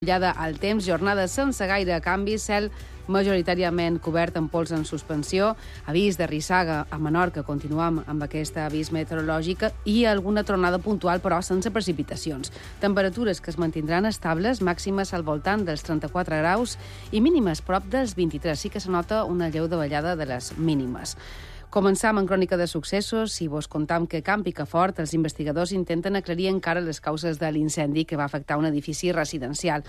Mullada al temps, jornada sense gaire canvi, cel majoritàriament cobert amb pols en suspensió, avís de rissaga a Menorca, continuem amb aquesta avís meteorològica i alguna tronada puntual, però sense precipitacions. Temperatures que es mantindran estables, màximes al voltant dels 34 graus i mínimes prop dels 23. Sí que se nota una lleu davallada de les mínimes. Començam en crònica de successos i vos contam que Camp Picafort els investigadors intenten aclarir encara les causes de l'incendi que va afectar un edifici residencial.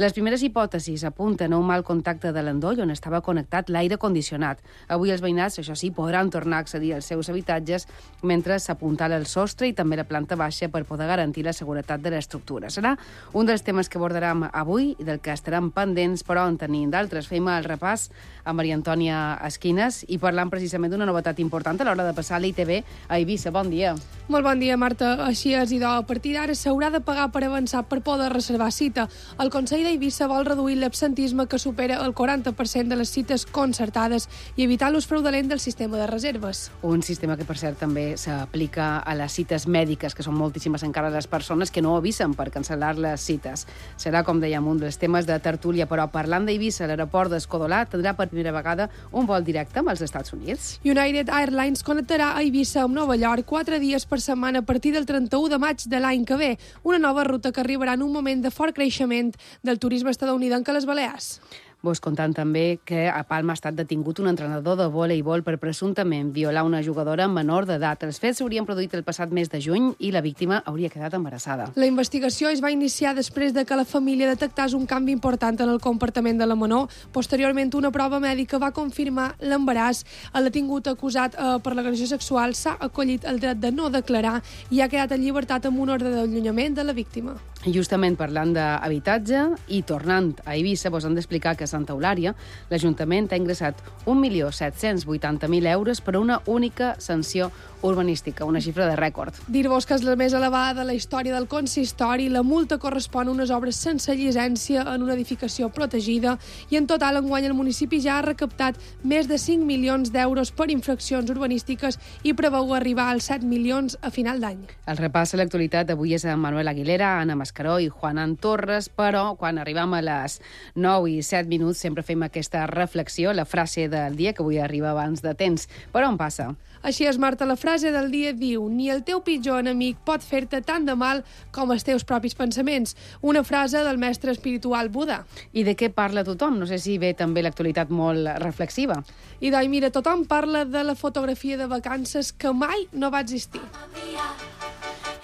Les primeres hipòtesis apunten a un mal contacte de l'endoll on estava connectat l'aire condicionat. Avui els veïnats, això sí, podran tornar a accedir als seus habitatges mentre s'apuntala el sostre i també la planta baixa per poder garantir la seguretat de l'estructura. Serà un dels temes que abordarem avui i del que estarem pendents, però en tenim d'altres. Fem el repàs a Maria Antònia Esquines i parlant precisament d'una novetat important a l'hora de passar l'ITV a Eivissa. Bon dia. Molt bon dia, Marta. Així és, idò. A partir d'ara s'haurà de pagar per avançar per poder reservar cita. El Consell d'Eivissa vol reduir l'absentisme que supera el 40% de les cites concertades i evitar l'ús fraudulent del sistema de reserves. Un sistema que, per cert, també s'aplica a les cites mèdiques, que són moltíssimes encara les persones que no avisen per cancel·lar les cites. Serà, com dèiem, un dels temes de tertúlia, però parlant d'Eivissa, l'aeroport d'Escodolà tindrà per primera vegada un vol directe amb els Estats Units. United Airlines connectarà a Eivissa amb Nova York 4 dies per setmana a partir del 31 de maig de l'any que ve, una nova ruta que arribarà en un moment de fort creixement del turisme estatunidenc a les Balears. Vos contant també que a Palma ha estat detingut un entrenador de voleibol per presumptament violar una jugadora menor d'edat. Els fets s'haurien produït el passat mes de juny i la víctima hauria quedat embarassada. La investigació es va iniciar després de que la família detectés un canvi important en el comportament de la menor. Posteriorment, una prova mèdica va confirmar l'embaràs. El detingut acusat per l'agressió sexual s'ha acollit el dret de no declarar i ha quedat en llibertat amb un ordre d'allunyament de la víctima. Justament parlant d'habitatge i tornant a Eivissa, vos han d'explicar que a Santa Eulària l'Ajuntament ha ingressat 1.780.000 euros per a una única sanció urbanística, una xifra de rècord. Dir-vos que és la més elevada de la història del consistori. La multa correspon a unes obres sense llicència en una edificació protegida i en total enguany el municipi ja ha recaptat més de 5 milions d'euros per infraccions urbanístiques i preveu arribar als 7 milions a final d'any. El repàs a l'actualitat avui és amb Manuel Aguilera, Anna Mascaró i Juanan Torres, però quan arribem a les 9 i 7 minuts sempre fem aquesta reflexió, la frase del dia, que avui arriba abans de temps. Per on passa? Així és, Marta, la frase del dia diu: ni el teu pitjor enemic pot fer-te tant de mal com els teus propis pensaments. Una frase del mestre espiritual Buda. I de què parla tothom? No sé si ve també l'actualitat molt reflexiva. I doncs, mira, tothom parla de la fotografia de vacances que mai no va existir.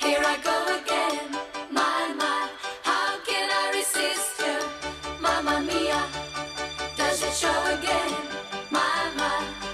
Here I go again, my, how can I resist you? Mamma mia, does it show again, my,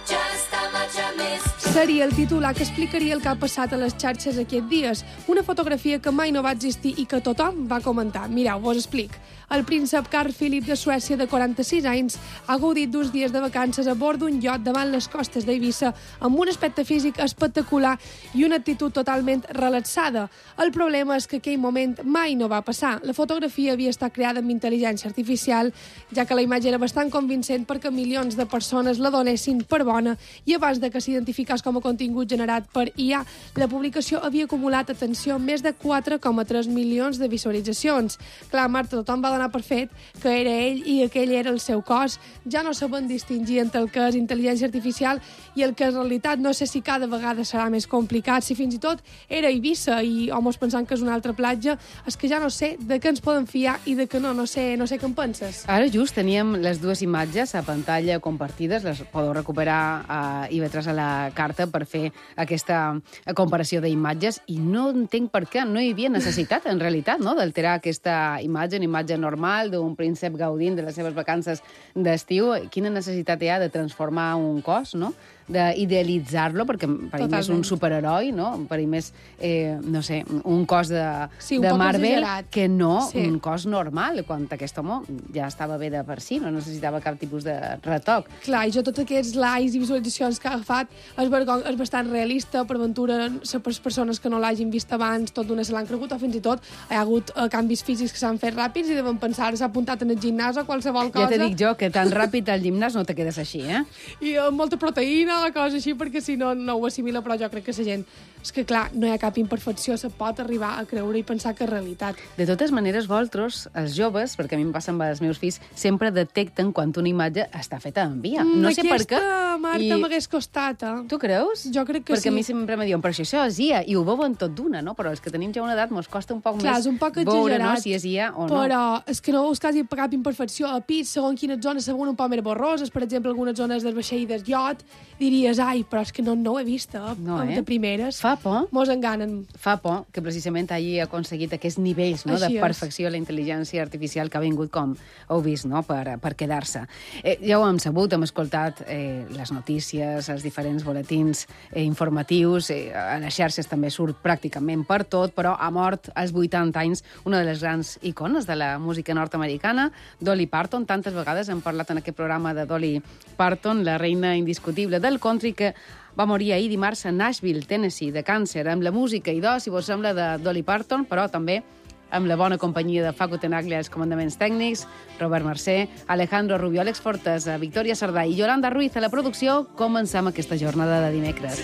just how much I missed you? Seria el titular que explicaria el que ha passat a les xarxes aquests dies. Una fotografia que mai no va existir i que tothom va comentar. Mireu, vos explic. El príncep Carl Philip de Suècia, de 46 anys, ha gaudit d'2 dies de vacances a bord d'un iot davant les costes d'Eivissa amb un aspecte físic espectacular i una actitud totalment relaxada. El problema és que aquell moment mai no va passar. La fotografia havia estat creada amb intel·ligència artificial, ja que la imatge era bastant convincent perquè milions de persones la donessin per bona i abans de que s'identificés com a contingut generat per IA, la publicació havia acumulat, atenció, més de 4,3 milions de visualitzacions. Clar, Marta, tothom va donar per fet que era ell i aquell era el seu cos. Ja no saben distingir entre el que és intel·ligència artificial i el que és realitat. No sé si cada vegada serà més complicat, si fins i tot era Eivissa i homes pensant que és una altra platja. És que ja no sé de què ens poden fiar i de què no sé què en penses. Ara just teníem les dues imatges a pantalla compartides, les podeu recuperar a IB3 a la carta per fer aquesta comparació d'imatges i no entenc per què no hi havia necessitat, en realitat, no?, d'alterar aquesta imatge, una imatge normal d'un príncep gaudint de les seves vacances d'estiu. Quina necessitat hi ha de transformar un cos, no?, d'idealitzar-lo, perquè per ell és un superheroi, no? Per ell és, no sé, un cos de Marvel que no un cos normal, quan aquest home ja estava bé de per si, no necessitava cap tipus de retoc. Clar, i jo tots aquests likes i visualitzacions que ha agafat és bastant realista. Per ventura, les persones que no l'hagin vist abans, tot d'una se l'han cregut, o fins i tot hi ha hagut canvis físics que s'han fet ràpids i deuen pensar, s'ha apuntat en el gimnàs o qualsevol cosa. Ja te dic jo que tan ràpid al gimnàs no te quedes així, eh? I amb molta proteïna, coses així, perquè si no, no ho assimila, però jo crec que la gent és que, clar, no hi ha cap imperfecció, se pot arribar a creure i pensar que és realitat. De totes maneres, vosaltres, els joves, perquè a mi em passa amb els meus fills, sempre detecten quan una imatge està feta en via. No sé per què. Aquesta, Marta, m'hagués costat, eh? Tu creus? Jo crec que perquè sí. a mi sempre me diuen, però això és IA, i ho veuen tot d'una, no? Però els que tenim ja una edat mos costa un poc Clar, més és un poc veure, exagerat, no, si és IA o no. però és que no veus quasi cap imperfecció. A pis, segons quines zones, segons un poc més borroses, per exemple, algunes zones del vaixell del iot, diries, ai, però és que no ho he vist, No, de primeres. Fa por. Mos enganen. Fa por que precisament hagi aconseguit aquests nivells, no, de Així és. perfecció a la intel·ligència artificial que ha vingut, com heu vist, no, per quedar-se. Ja ho hem sabut, hem escoltat les notícies, els diferents boletins informatius, a les xarxes també surt pràcticament per tot, però ha mort als 80 anys una de les grans icones de la música nord-americana, Dolly Parton. Tantes vegades hem parlat en aquest programa de Dolly Parton, la reina indiscutible del country, que va morir ahir dimarts a Nashville, Tennessee, de càncer, amb la música i si vos sembla, de Dolly Parton, però també amb la bona companyia de Facu Tenaglia als comandaments tècnics, Robert Mercè, Alejandro Rubio, Àlex Fortes, Victòria Sardà i Yolanda Ruiz a la producció. Comencem aquesta jornada de dimecres.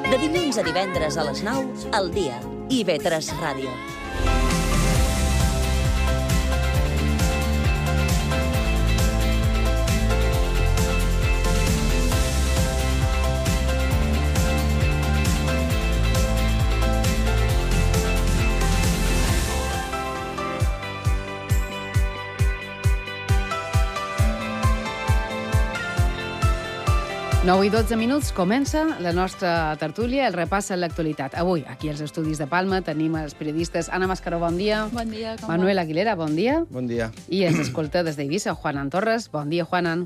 De dilluns a divendres a les 9, al dia. IB3 Ràdio. Nou i 12 minuts, comença la nostra tertúlia, el repàs a l'actualitat. Avui, aquí als estudis de Palma, tenim els periodistes Anna Mascaró, bon dia. Bon dia, com Manuel Aguilera, bon dia. Bon dia. I ens escolta des d'Eivissa, Juanan Torres. Bon dia, Juanan.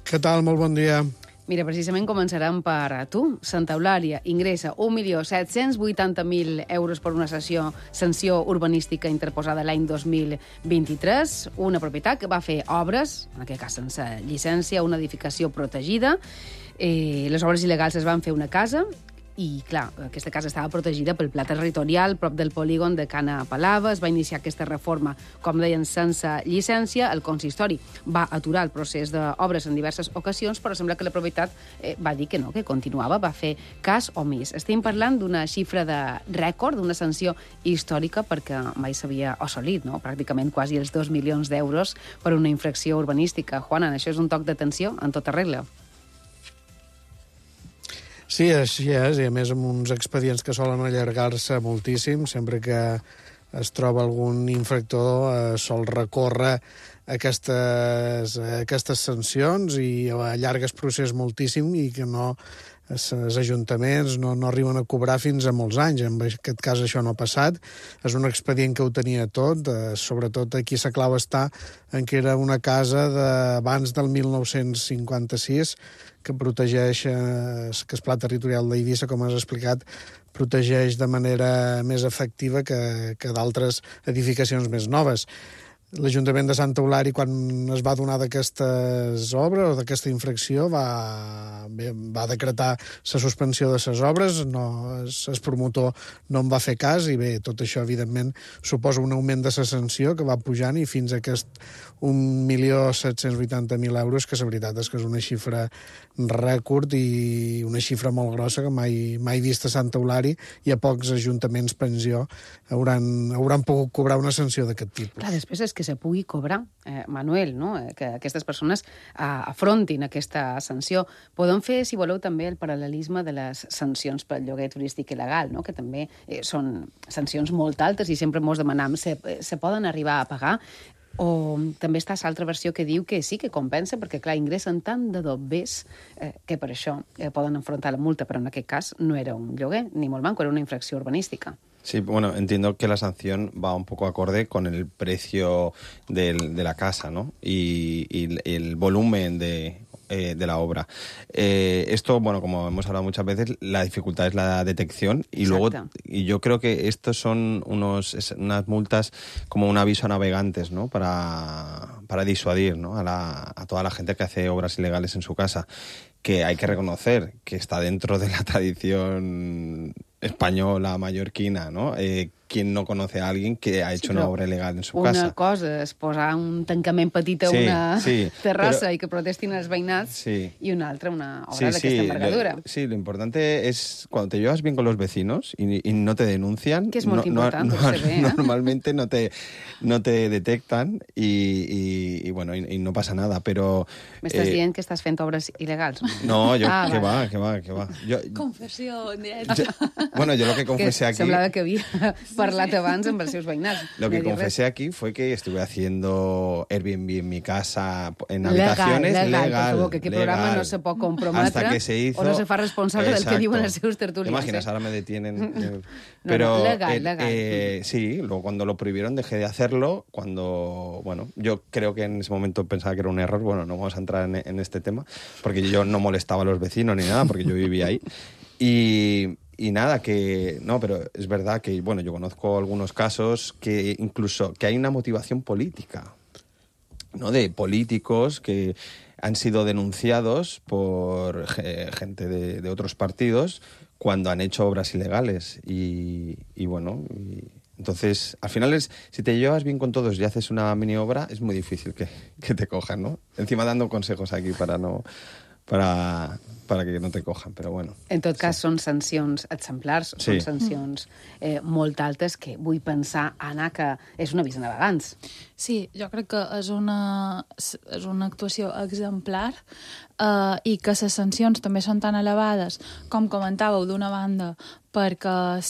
Què tal? Molt bon dia. Mira, precisament començarem per tu. Santa Eulàlia ingressa 1.780.000 euros per una sanció urbanística interposada l'any 2023. Una propietat que va fer obres, en aquest cas sense llicència, una edificació protegida. Les obres il·legals es van fer una casa i, clar, aquesta casa estava protegida pel pla territorial prop del polígon de Cana Palava. Es va iniciar aquesta reforma, com deien, sense llicència. El consistori va aturar el procés d'obres en diverses ocasions, però sembla que la propietat va dir que no, que continuava, va fer cas omís. Estem parlant d'una xifra de rècord, d'una sanció històrica, perquè mai s'havia assolit, no? Pràcticament quasi els 2 milions d'euros per una infracció urbanística. Juanan, això és un toc d'atenció en tota regla. Sí, així és, i a més amb uns expedients que solen allargar-se moltíssim. Sempre que es troba algun infractor sol recórrer aquestes sancions i allarga el procés moltíssim i que no els ajuntaments no arriben a cobrar fins a molts anys. En aquest cas això no ha passat. És un expedient que ho tenia tot, sobretot aquí la clau està en que era una casa d'abans del 1956 que protegeix, que el pla territorial d'Eivissa, com has explicat, protegeix de manera més efectiva que d'altres edificacions més noves. L'Ajuntament de Santa Eulària, quan es va donar d'aquestes obres o d'aquesta infracció, va decretar la suspensió de les obres, el promotor no en va fer cas, i bé, tot això, evidentment, suposa un augment de la sanció que va pujant i fins a aquest 1.780.000 euros, que la veritat és que és una xifra rècord i una xifra molt grossa que mai vist a Santa Eulària, i a pocs ajuntaments, pensió, hauran pogut cobrar una sanció d'aquest tipus. Clar, després és que se pugui cobrar, Manuel, no? Que aquestes persones afrontin aquesta sanció. Podem fer, si voleu, també el paral·lelisme de les sancions pel lloguer turístic il·legal, no? Que també són sancions molt altes i sempre mos demanam se poden arribar a pagar. O també està l'altra versió que diu que sí que compensa, perquè, clar, ingressen tant de dobbers que per això poden enfrontar la multa, però en aquest cas no era un lloguer, ni molt manco, era una infracció urbanística. Sí, bueno, entiendo que la sanción va un poco acorde con el precio de la casa, ¿no? Y el volumen de la obra. Esto, bueno, como hemos hablado muchas veces, la dificultad es la detección y Exacto. luego, y yo creo que estos son unas multas como un aviso a navegantes, ¿no? Para disuadir, ¿no? A toda la gente que hace obras ilegales en su casa, que hay que reconocer que está dentro de la tradición española, mallorquina, ¿no? ¿Quién no conoce a alguien que ha hecho una obra ilegal en su casa? Una cosa és posar un tancament petit a una terrassa i que protestin els veïnats, i una altra, una obra d'aquesta envergadura. Sí, lo importante es cuando te llevas bien con los vecinos y no te denuncian, que és molt important, normalmente no te detectan y bueno, y no pasa nada, pero... M'estàs dient que estàs fent obres il·legals? No, yo, que va. Confessió en directe. Bueno, yo lo que confesé aquí... Semblava que havia parlat abans amb els seus veïnats. Lo que confesé aquí fue que estuve haciendo Airbnb en mi casa, en habitaciones legal. Per favor, que aquest programa no se pot comprometre hasta que se hizo, o no se fa responsable del que diuen els seus tertulians. ¿Te imaginas? Ahora me detienen. Pero legal. Sí, luego cuando lo prohibieron dejé de hacerlo. Bueno, yo creo que en ese momento pensaba que era un error. Bueno, no vamos a entrar en este tema, porque yo no molestaba a los vecinos ni nada, porque yo vivía ahí. Y nada, pero es verdad que, bueno, yo conozco algunos casos que incluso que hay una motivación política, ¿no? De políticos que han sido denunciados por gente de otros partidos cuando han hecho obras ilegales. Y entonces, al final si te llevas bien con todos y haces una mini obra, es muy difícil que te cojan, ¿no? Encima dando consejos aquí para que no te cojan, però bueno. En tot cas, són sancions exemplars, són sancions molt altes, que vull pensar, Anna, que és un avís a navegants. Sí, jo crec que és una actuació exemplar i que les sancions també són tan elevades, com comentàveu, d'una banda, perquè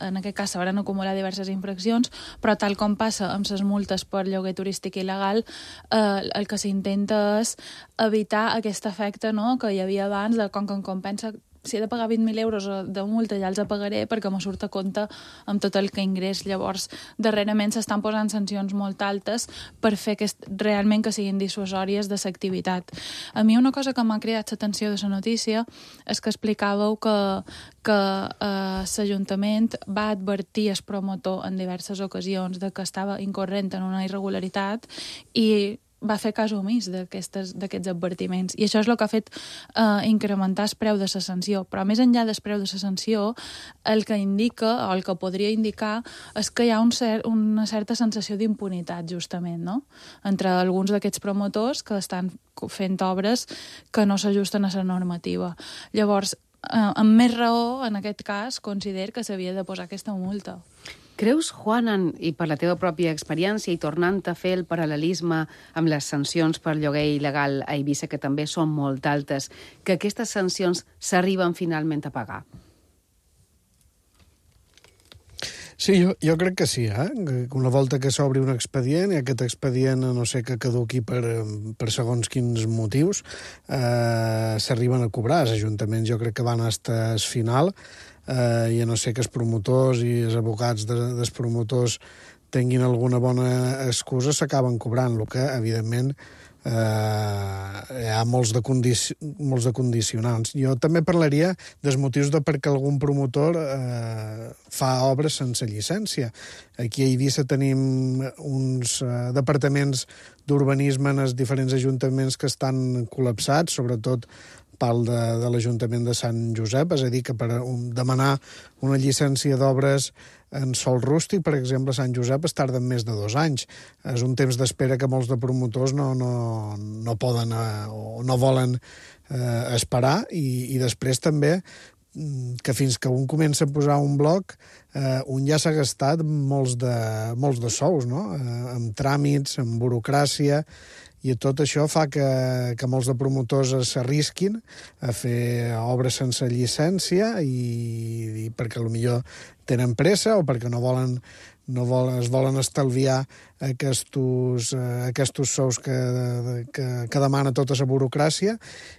en aquest cas se van acumular diverses infraccions, però tal com passa amb les multes per lloguer turístic il·legal, el que s'intenta és evitar aquest efecte, no?, que hi havia abans, de com que em compensa, si he de pagar 20.000 euros de multa ja els pagaré perquè me surt a compte amb tot el que ingrés. Llavors, darrerament s'estan posant sancions molt altes per fer realment que siguin dissuasòries de l'activitat. A mi una cosa que m'ha cridat l'atenció de la notícia és que explicàveu que l'Ajuntament va advertir el promotor en diverses ocasions de que estava incorrent en una irregularitat i va fer cas omís d'aquests advertiments. I això és el que ha fet incrementar el preu de la sanció. Però més enllà del preu de la sanció, el que indica, o el que podria indicar, és que hi ha una certa sensació d'impunitat, justament, no?, entre alguns d'aquests promotors que estan fent obres que no s'ajusten a la normativa. Llavors, amb més raó, en aquest cas, considero que s'havia de posar aquesta multa. Creus, Juanan, i per la teva pròpia experiència, i tornant a fer el paral·lelisme amb les sancions per lloguer il·legal a Eivissa, que també són molt altes, que aquestes sancions s'arriben finalment a pagar? Sí, jo crec que sí, Una volta que s'obri un expedient, i aquest expedient, no sé, que caduqui per segons quins motius, s'arriben a cobrar. Els ajuntaments jo crec que van fins al final, i a no ser que els promotors i els advocats dels promotors tinguin alguna bona excusa, s'acaben cobrant, el que, evidentment, hi ha molts de condicionants. Jo també parlaria dels motius de per què algun promotor fa obres sense llicència. Aquí a Eivissa tenim uns departaments d'urbanisme en els diferents ajuntaments que estan col·lapsats, sobretot parlo de l'Ajuntament de Sant Josep, és a dir, que per demanar una llicència d'obres en sòl rústic, per exemple, a Sant Josep es tarden més de 2 anys. És un temps d'espera que molts de promotors no poden o no volen esperar, i després també que fins que un comença a posar un bloc, un ja s'ha gastat molts de sous, no?, amb tràmits, amb burocràcia, I tot això fa que molts de promotors s'arrisquin a fer obres sense llicència i perquè potser tenen pressa o perquè es volen estalviar aquests sous que demana tota la burocràcia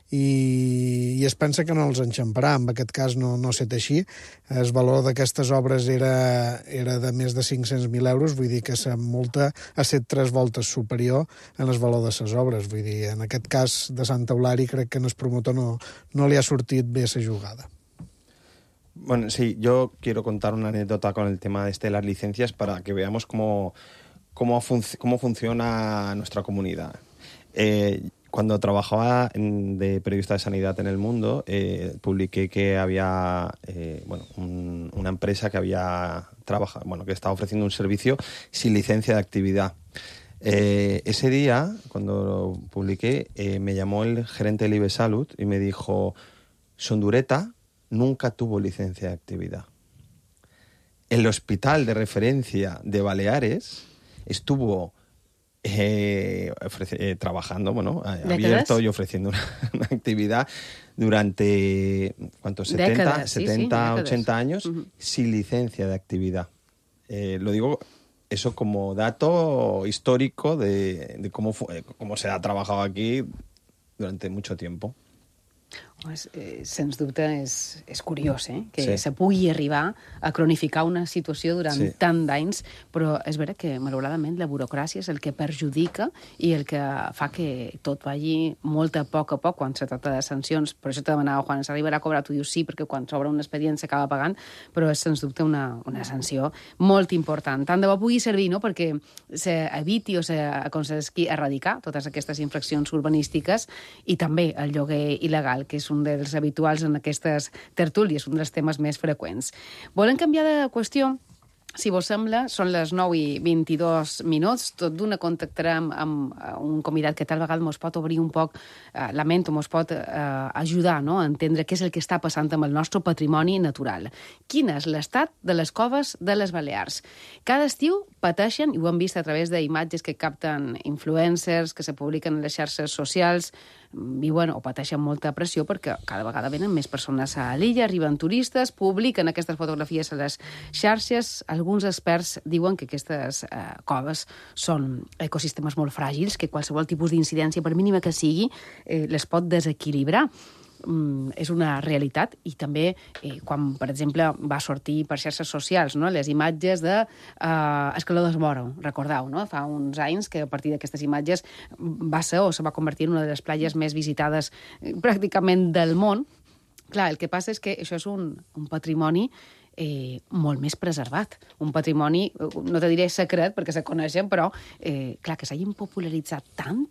i es pensa que no els enxamparà. En aquest cas no ha estat així. El valor d'aquestes obres era de més de 500.000 euros, vull dir que la multa ha estat 3 voltes superior en el valor de les obres. Vull dir, en aquest cas de Sant Eulari crec que el promotor no li ha sortit bé la jugada. Bueno, sí, yo quiero contar una anécdota con el tema de las licencias para que veamos cómo funciona nuestra comunidad. Cuando trabajaba de periodista de sanidad en El Mundo, publiqué que había una empresa que había que estaba ofreciendo un servicio sin licencia de actividad. Ese día, cuando lo publiqué, me llamó el gerente del IBE Salud y me dijo: Sondureta nunca tuvo licencia de actividad. El hospital de referencia de Baleares estuvo trabajando, abierto y ofreciendo una actividad durante, ¿cuántos? 70, 80 años, sin licencia de actividad. Lo digo eso como dato histórico de cómo se ha trabajado aquí durante mucho tiempo. Sens dubte és curiós, que se pugui arribar a cronificar una situació durant tant d'anys, però és vera que, malauradament, la burocràcia és el que perjudica i el que fa que tot vagi molt a poc quan se tracta de sancions. Per això te demanava, Juan, s'arribarà a cobrar? Tu dius sí, perquè quan s'obre un expedient s'acaba pagant, però és, sens dubte, una sanció molt important. Tant de bo pugui servir, no?, perquè s'eviti o s'aconsegueixi erradicar totes aquestes infraccions urbanístiques i també el lloguer il·legal, que és un dels habituals en aquestes tertúlies, un dels temes més freqüents. Volem canviar de qüestió. Si vos sembla, són les 9:22. Tot d'una contactarem amb un convidat que tal vegada mos pot obrir un poc la ment o mos pot ajudar, no?, a entendre què és el que està passant amb el nostre patrimoni natural. Quin és l'estat de les coves de les Balears? Cada estiu pateixen, i ho hem vist a través d'imatges que capten influencers, que se publiquen a les xarxes socials, viuen o pateixen molta pressió perquè cada vegada venen més persones a l'illa, arriben turistes, publiquen aquestes fotografies a les xarxes. Alguns experts diuen que aquestes coves són ecosistemes molt fràgils, que qualsevol tipus d'incidència, per mínima que sigui, les pot desequilibrar. És una realitat i també quan, per exemple, va sortir per xarxes socials, no?, les imatges d'escaladors Moro, recordeu, no?, fa uns anys que a partir d'aquestes imatges va ser o se va convertir en una de les platges més visitades pràcticament del món. Clar, el que passa és que això és un patrimoni molt més preservat. Un patrimoni, no te diré secret, perquè se coneixen, però, clar, que s'hagin popularitzat tant,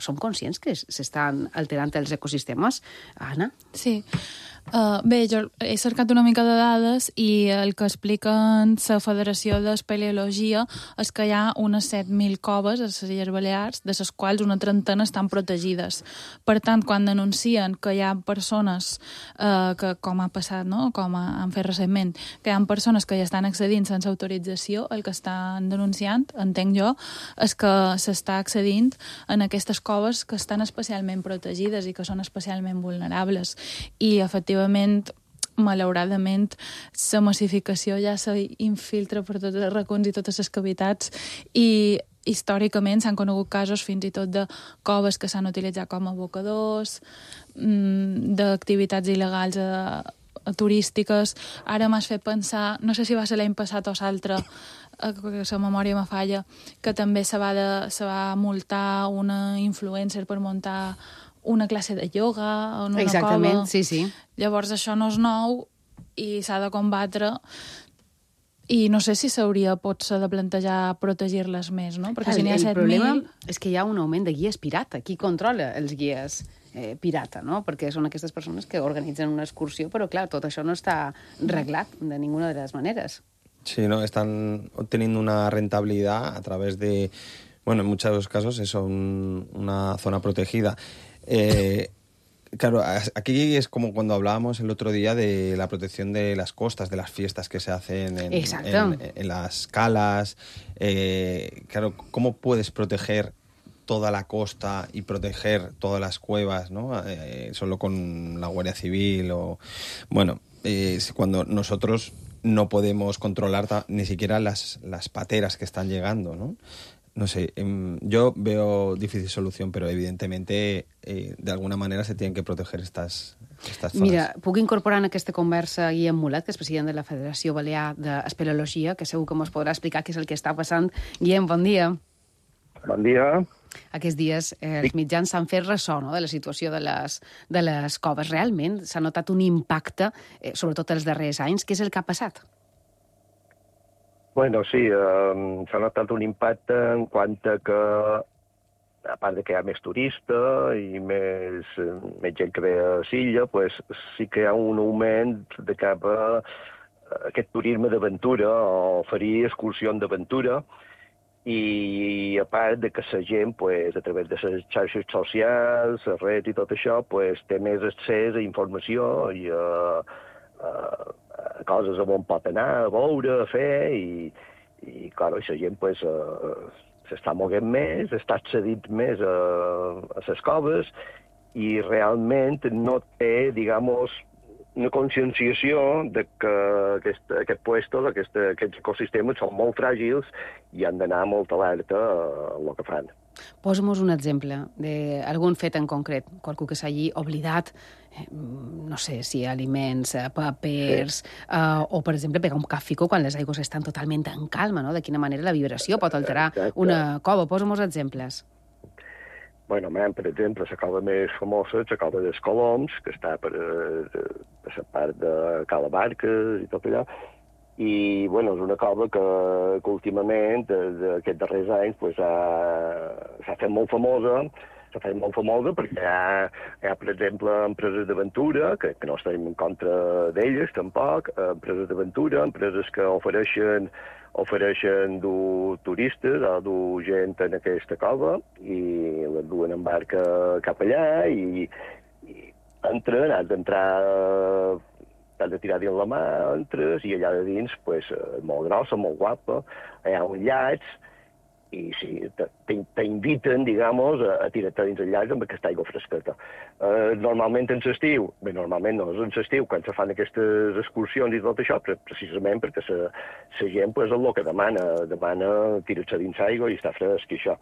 som conscients que s'estan alterant els ecosistemes, Anna? Sí. Bé, jo he cercat una mica de dades i el que expliquen la Federació d'Espeleologia és que hi ha unes 7.000 coves a les Illes Balears, de les quals una trentena estan protegides. Per tant, quan denuncien que hi ha persones que, com ha passat, no?, com han fet recentment, que hi ha persones que hi estan accedint sense autorització, el que estan denunciant, entenc jo, és que s'està accedint en aquestes coves que estan especialment protegides i que són especialment vulnerables. I, efectivament, malauradament, la massificació ja s'infiltra per tots els racons i totes les cavitats i històricament s'han conegut casos fins i tot de coves que s'han utilitzat com a abocadors, d'activitats il·legals turístiques. Ara m'has fet pensar, no sé si va ser l'any passat o l'altre, que la memòria me falla, que també se va multar una influencer per muntar una classe de ioga en una Exactament, cova. sí. Llavors això no és nou i s'ha de combatre i no sé si s'hauria potser de plantejar protegir-les més, no? Perquè si n'hi ha 7.000... El problema és que hi ha un augment de guies pirata. Qui controla els guies pirata, no? Perquè són aquestes persones que organitzen una excursió, però clar, tot això no està reglat de ninguna de les maneres. Sí, no, están obteniendo una rentabilidad a través de, bueno, en muchos casos eso, una zona protegida. Claro, aquí es como cuando hablábamos el otro día de la protección de las costas, de las fiestas que se hacen en las calas. Claro, ¿cómo puedes proteger toda la costa y proteger todas las cuevas, ¿no? Solo con la Guardia Civil o... Bueno, cuando nosotros no podemos controlar ni siquiera las pateras que están llegando, ¿no? No sé, yo veo difícil solución, però evidentemente de alguna manera se tienen que proteger estas zonas. Mira, puc incorporar en aquesta conversa Guillem Mulet, que és president de la Federació Balear d'Espeleologia, que segur que ens podrà explicar què és el que està passant. Guillem, bon dia. Bon dia. Aquests dies els mitjans s'han fet ressò, no?, de la situació de les coves. Realment s'ha notat un impacte, sobretot els darrers anys. Què és el que ha passat? Bueno, sí, s'ha notat un impacte en quant a que, a part de que hi ha més turista i més gent que ve a l'illa, pues, sí que hi ha un augment de cap a aquest turisme d'aventura o oferir excursions d'aventura, i a part de que la gent, pues, a través de les xarxes socials, les redes i tot això, pues, té més accés a informació i a coses on pot anar, a veure, a fer, i clar, la gent pues, s'està moguent més, està accedint més a les coves i realment no té, digamos, una conscienciació de que aquests puestos, aquests ecosistemes són molt fràgils i han d'anar molt alerta a el que fan. Posa'm-nos un exemple d'algun fet en concret, qualcú que s'hagi oblidat, no sé, si aliments, papers, o, per exemple, pegar un càfico quan les aigües estan totalment en calma, no? De quina manera la vibració pot alterar una cova. Posa'm-nos exemples. Bueno, per exemple, la cova més famosa és la cova dels Coloms, que està per la part de Cala Barques i tot allò. I, bueno, és una cova que últimament, d'aquests darrers anys, pues, s'ha fet molt famosa. S'ha fet molt famosa perquè hi ha, per exemple, empreses d'aventura, que no estem en contra d'elles, tampoc, empreses d'aventura, empreses que ofereixen dur turistes o dur gent en aquesta cova i les duen en barca cap allà i entren, has d'entrar, t'has de tirar dins la mà, entres, i allà de dins, pues, molt grossa, molt guapa, hi ha uns llacs, i sí, t'inviten, digamos, a tirar-te dins el llac amb aquesta aigua fresqueta. Normalment en l'estiu, bé, normalment no, és en l'estiu, quan se fan aquestes excursions i tot això, precisament perquè la gent, pues, és el que demana tirar-se dins l'aigua i està fresc i això.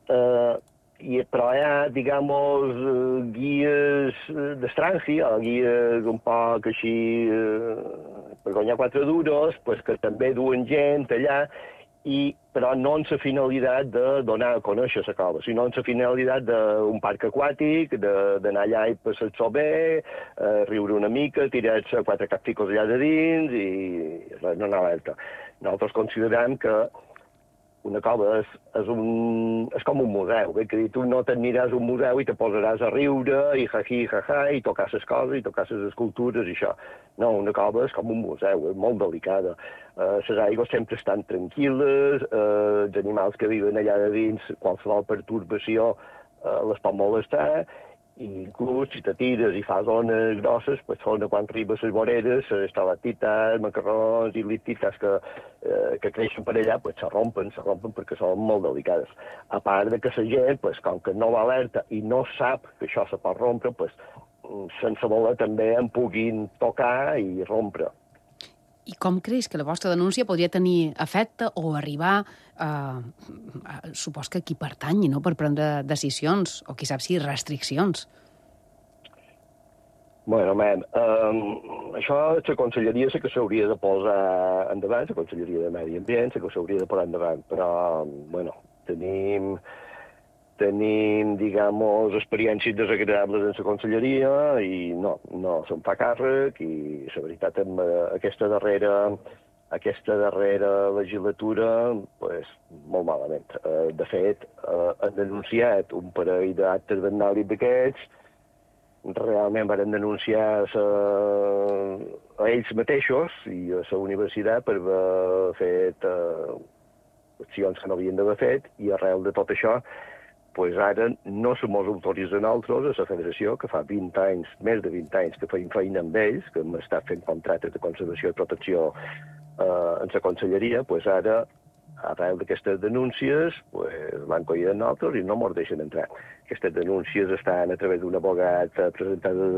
Però hi ha, digamos, guies d'estrangia, o guies un poc així, per guanyar 4 duros, pues, que també duen gent allà, però no amb la finalitat de donar a conèixer la cova, sinó amb la finalitat d'un parc aquàtic, d'anar allà i passar-s'ho bé, riure una mica, tirar-se 4 capficos allà de dins i res, no anar alerta. Nosaltres considerem que una cova és com un museu, que tu no t'admiràs un museu i te posaràs a riure i jají, jajà, i tocar les coses, i tocar les escultures i això. No, una cova és com un museu, és molt delicada. Les aigües sempre estan tranquil·les, els animals que viuen allà de dins, qualsevol pertorbació les pot molestar, i inclús si te tires i fas ones grosses, pues són quan arribes les voreres, les estalactites, macarrons i lictites que creixen per allà, pues se rompen perquè són molt delicades. A part de que la gent, pues, com que no va alerta i no sap que això se pot rompre, pues, sense voler també en puguin tocar i rompre. I com creus que la vostra denúncia podria tenir efecte o arribar supos que qui pertanyi, no?, per prendre decisions o, qui sap si, restriccions? Bueno, això la conselleria sí que s'hauria de posar endavant, la conselleria de Medi Ambient sí que s'hauria de posar endavant, però, bueno, tenim, digamos, experiències desagradables en la conselleria i no se'n fa càrrec i la veritat amb aquesta darrera legislatura, pues, molt malament. De fet, han denunciat un parell d'actes vandàlics d'aquests, realment van denunciar a ells mateixos i a la universitat per haver fet accions que no havien d'haver fet, i arrel de tot això pues ara no se mos autoritza a nosaltres, a la federació, que fa 20 anys, més de 20 anys, que feim feina amb ells, que hem estat fent contractes de conservació i protecció en la conselleria, pues ara arrel d'aquestes denúncies, pues, l'han collit en nosaltres i no mos deixen entrar. Aquestes denúncies estan a través d'un abogat presentades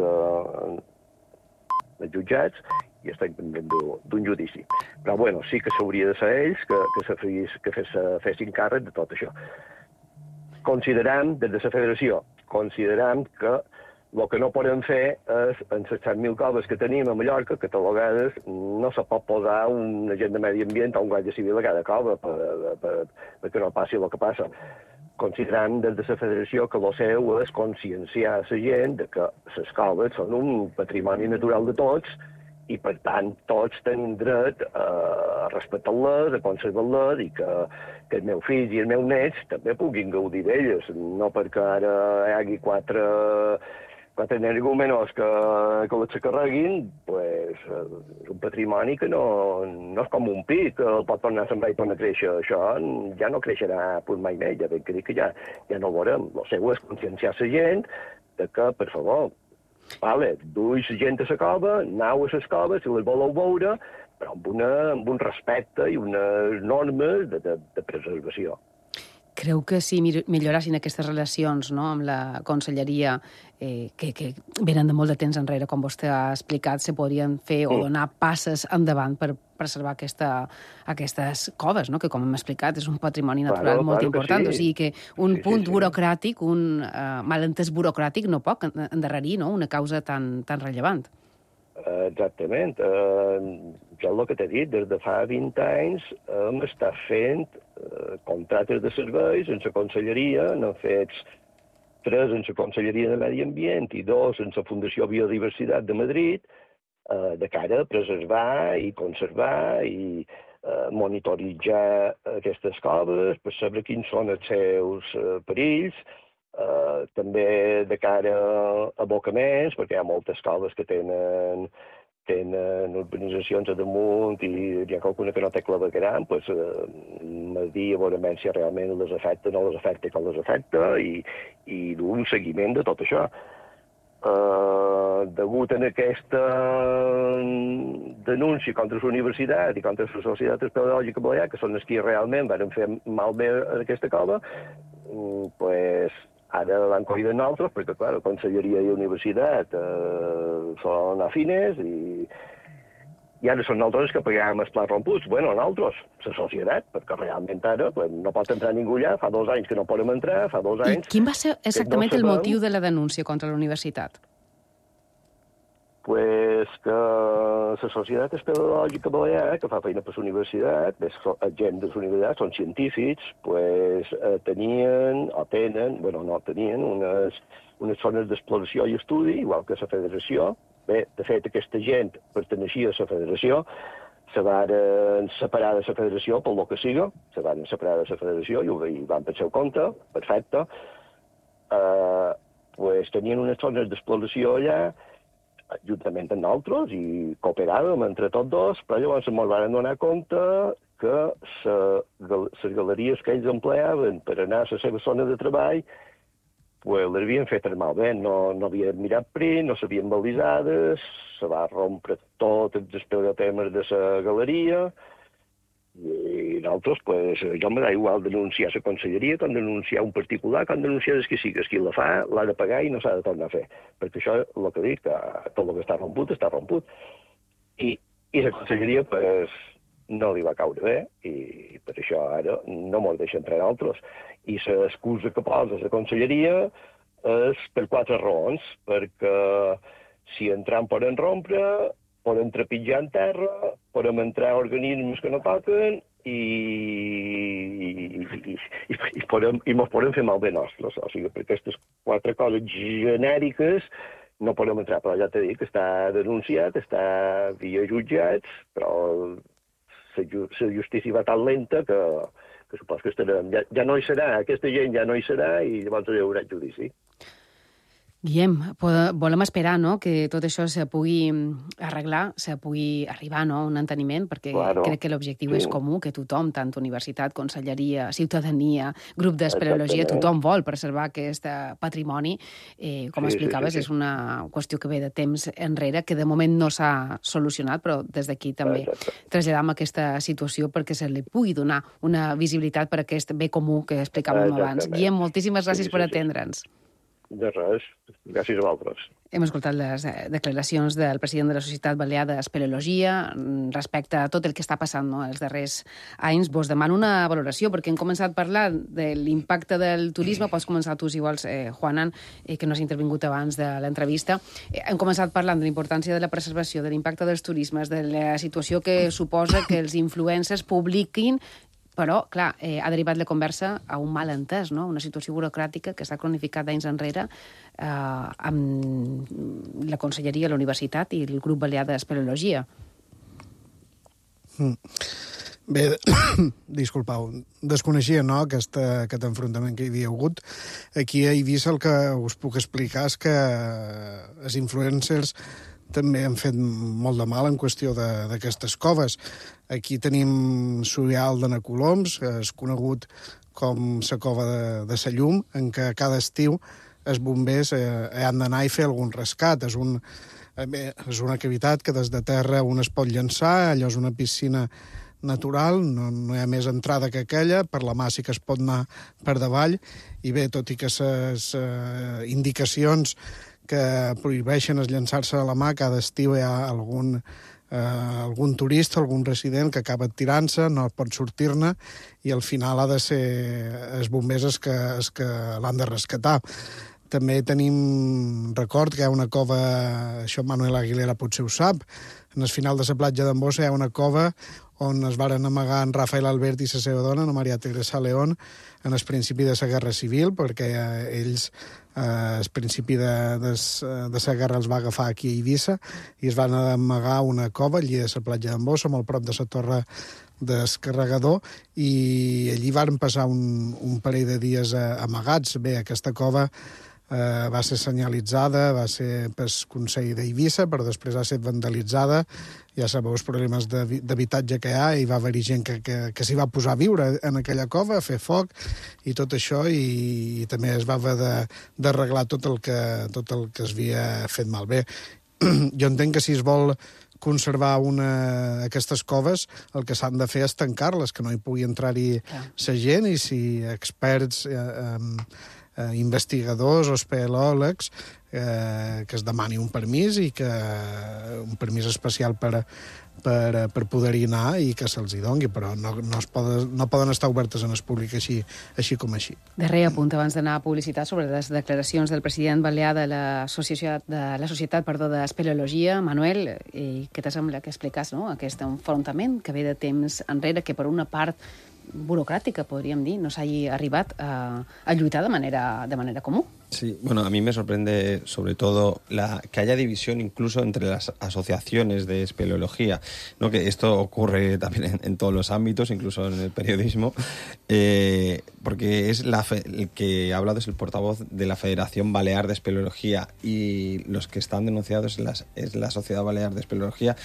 als jutjats i estan pendent d'un judici. Però, bueno, sí que s'hauria de ser ells que fessin càrrec de tot això. Consideram, des de la federació, consideram que el que no podem fer és, en les 100.000 coves que tenim a Mallorca, catalogades, no se pot posar un agent de medi ambient o un guàrdia civil a cada cova perquè no passi el que passa. Considerant des de la federació que el seu és conscienciar la gent de que les coves són un patrimoni natural de tots i, per tant, tots tenim dret a respectar-les, a conservar-les i que els meus fills i els meus nets també puguin gaudir d'elles, no perquè ara hi hagi quatre energúmenos que les carreguin, pues, és un patrimoni que no és com un pi, que el pot tornar a sembrar i tornar a créixer. Això ja no creixerà mai més, ja ben que dic que ja no ho veurem. El seu és conscienciar la gent de que, per favor, vale, duix gent a la cova, anau a les coves, si les voleu veure, però amb un respecte i unes normes de preservació. Creu que si millorassin aquestes relacions, no?, amb la conselleria, que venen de molt de temps enrere, com vostè ha explicat, se podrien fer o donar passes endavant per preservar aquestes coves, no?, que, com hem explicat, és un patrimoni natural molt important. Sí. O sigui que un punt burocràtic, un malentès burocràtic no pot endarrerir, no?, una causa tan rellevant. Exactament. Jo el que t'he dit, des de fa 20 anys hem estat fent contractes de serveis en la conselleria, n'hem fet 3 en la Conselleria de Medi Ambient i 2 en la Fundació Biodiversitat de Madrid, de cara a preservar i conservar i monitoritzar aquestes coves per saber quins són els seus perills, també de cara a abocaments, perquè hi ha moltes coves que tenen urbanitzacions a damunt i hi ha qualcuna que no té clavegueram, doncs medir a veure si realment les afecta, no les afecta, com les afecta, i dur un seguiment de tot això. Degut a aquesta denúncia contra la universitat i contra la Societat Espeleològica Balear, que són els que realment van fer malbé a aquesta cova, pues, ara l'han collit nosaltres, perquè, clar, la Conselleria i la Universitat són afines i ara són nosaltres que paguem els plats romputs. Bueno, nosaltres, la societat, perquè realment ara pues, no pot entrar ningú allà, fa 2 anys que no podem entrar, fa 2 anys... I quin va ser exactament el motiu de la denúncia contra la universitat? Pues que la Societat Espeleològica Balear, que fa feina per la universitat, gent de la universitat, són científics, pues tenen, unes zones d'exploració i estudi, igual que la federació. Bé, de fet, aquesta gent perteneixia a la federació, se van separar de la federació pel que siga, se van separar de la federació i van per seu compte, perfecte. Pues tenien unes zones d'exploració allà, juntament amb nosaltres, i cooperàvem entre tots dos, però llavors ens van donar compte que les galeries que ells empleaven per anar a la seva zona de treball pues, les havien fet malbé, no havien mirat print, no s'havien balisades, se va rompre tots els espelgatemes de la galeria, i nosaltres, pues, jo me da igual denunciar la conselleria com denunciar un particular, com denunciar el que sigui. Qui la fa l'ha de pagar i no s'ha de tornar a fer. Perquè això, el que dic, que tot el que està romput, està romput. I la conselleria, pues, no li va caure bé, i per això ara no mos deixa entrar altres. I l'excusa que posa la conselleria és per 4 raons. Perquè si entram poden rompre, podem trepitjar en terra, podem entrar organismes que no toquen i mos podem fer malbé nostres. O sigui, per aquestes 4 coses genèriques no podem entrar, però ja t'he dit que està denunciat, està via jutjats, però la justícia va tan lenta que supos que estarem. Ja no hi serà, aquesta gent ja no hi serà i llavors hi haurà judici. Guillem, volem esperar, no?, que tot això se pugui arreglar, se pugui arribar, no?, a un enteniment, perquè crec que l'objectiu és comú, que tothom, tant universitat, conselleria, ciutadania, grup d'espeleologia, tothom vol preservar aquest patrimoni. Com explicaves, és una qüestió que ve de temps enrere, que de moment no s'ha solucionat, però des d'aquí també traslladam aquesta situació perquè se li pugui donar una visibilitat per aquest bé comú que explicàvem abans. Guillem, moltíssimes gràcies per atendre'ns. De res, gràcies a vosaltres. Hem escoltat les declaracions del president de la Societat Balear d'Espeleologia respecte a tot el que està passant, no?, els darrers anys. Vos demano una valoració, perquè hem començat a parlar de l'impacte del turisme. Pots començar tu, si vols, Juanan, que no has intervingut abans de l'entrevista. Hem començat parlant de la importància de la preservació, de l'impacte dels turismes, de la situació que suposa que els influencers publiquin. Però, clar, ha derivat la conversa a un malentès, no?, una situació burocràtica que s'ha cronificat d'anys enrere amb la conselleria, la universitat i el grup balear d'espeleologia. Bé, disculpeu, desconeixia, no?, aquest enfrontament que hi havia hagut. Aquí a Eivissa el que us puc explicar és que els influencers també han fet molt de mal en qüestió d'aquestes coves. Aquí tenim Surial de Nacoloms, que és conegut com la cova de sa Llum, en què cada estiu els bombers han d'anar i fer algun rescat. És una cavitat que des de terra un es pot llançar, allò és una piscina natural, no hi ha més entrada que aquella, per la mà sí que es pot anar per davall, i bé, tot i que les indicacions que prohibeixen llançar-se a la mà, cada estiu hi ha algun turista, algun resident que acaba tirant-se, no pot sortir-ne, i al final ha de ser els bombers els que l'han de rescatar. També tenim record que hi ha una cova, això Manuel Aguilera potser ho sap, en el final de la platja d'Ambossa hi ha una cova on es varen amagar en Rafael Albert i la seva dona, Ana Maria Teresa León, en el principi de la Guerra Civil, perquè ells, al principi de la guerra, els va agafar aquí a Eivissa i es van amagar una cova allí a la platja d'Ambossa, molt prop de la torre descarregador, i allí varen passar un parell de dies amagats. Bé, aquesta cova va ser senyalitzada, va ser pel Consell d'Eivissa, però després ha estat vandalitzada. Ja sabeu els problemes d'habitatge que hi ha, i va haver-hi gent que s'hi va posar a viure en aquella cova, a fer foc i tot això, i també es va haver d'arreglar tot el que es havia fet malbé. Jo entenc que si es vol conservar aquestes coves, el que s'han de fer és tancar-les, que no hi pugui entrar-hi la gent, i si experts, investigadors o espeleòlegs, que es demani un permís, i un permís especial per poder-hi anar, i que se'ls hi doni, però no poden estar obertes en el públic així com així. Darrer apunt abans d'anar a publicitat sobre les declaracions del president balear de la Societat d'Espeleologia. Manuel, què te sembla que expliques, no?, aquest enfrontament que ve de temps enrere, que per una part burocràtica, podríem dir, no s'hagi arribat a lluitar de manera común. Sí, bueno, a mí me sorprende sobre todo que haya división incluso entre las asociaciones de espeleología, ¿no? Que esto ocurre también en todos los ámbitos, incluso en el periodismo, porque es el que ha hablado es el portavoz de la Federación Balear de Espeleología, y los que están denunciados es la Sociedad Balear de Espeleología,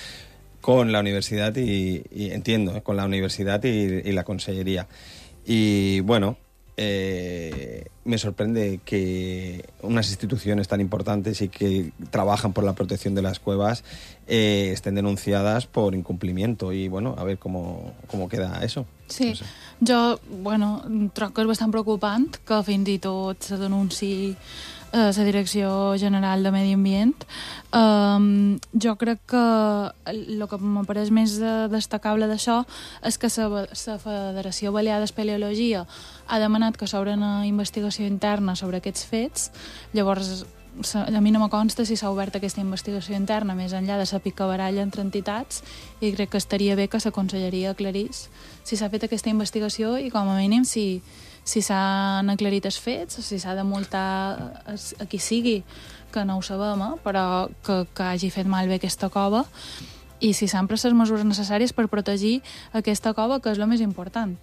con la universidad con la universidad y la consellería. Y bueno, me sorprende que unas instituciones tan importantes y que trabajan por la protección de las cuevas estén denunciadas por incumplimiento, y bueno, a ver cómo queda eso. Sí, no sé. Jo, trobo que és bastant preocupant que fins i tot se denunciï la Direcció General de Medi Ambient. Jo crec que el que m'apareix més destacable d'això és que la Federació Balear d'Espeleologia ha demanat que s'obri una investigació interna sobre aquests fets. Llavors, a mi no me consta si s'ha obert aquesta investigació interna més enllà de la picabaralla entre entitats, i crec que estaria bé que la conselleria aclarís si s'ha fet aquesta investigació, i com a mínim si s'han aclarit els fets, si s'ha de multar a qui sigui, que no ho sabem, però que hagi fet malbé aquesta cova, i si s'han pres les mesures necessàries per protegir aquesta cova, que és el més important.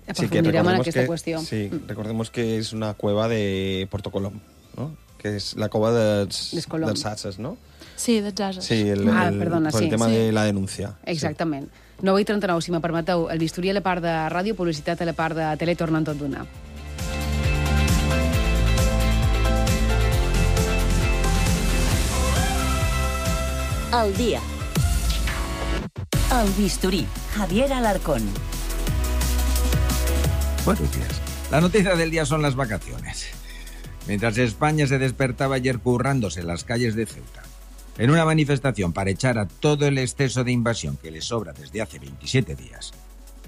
Aprofundirem en aquesta qüestió. Sí, recordemos que es una cueva de Puerto Colom, ¿no? que és la cova dels Colom. Ases, no? Sí, dels Ases. Sí, perdona, por sí, el tema sí. de la denuncia. Exactament. 9:39, si me permeteu. El bisturí a la part de ràdio, publicitat a la part de tele, tornen tot d'una. Al día. El bisturí. Javier Alarcón. Buenos días. La noticia del día son las vacaciones. Mientras España se despertaba ayer currándose en las calles de Ceuta, en una manifestación para echar a todo el exceso de invasión que les sobra desde hace 27 días,